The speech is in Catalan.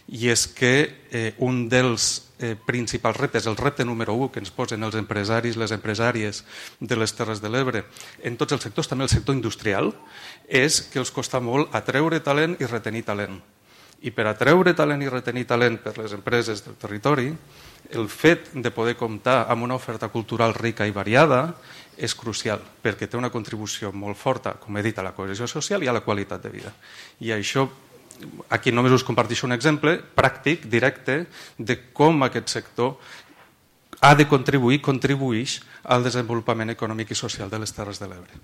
i és que un dels principals reptes, el repte número 1 que ens posen els empresaris, les empresàries de les Terres de l'Ebre, en tots els sectors, també el sector industrial, és que els costa molt atreure talent i retenir talent. I per atreure talent i retenir talent per les empreses del territori, el fet de poder comptar amb una oferta cultural rica i variada és crucial, perquè té una contribució molt forta, com he dit, a la cohesió social i a la qualitat de vida. I això, aquí només us comparteixo un exemple pràctic, directe, de com aquest sector ha de contribuir, contribueix al desenvolupament econòmic i social de les Terres de l'Ebre.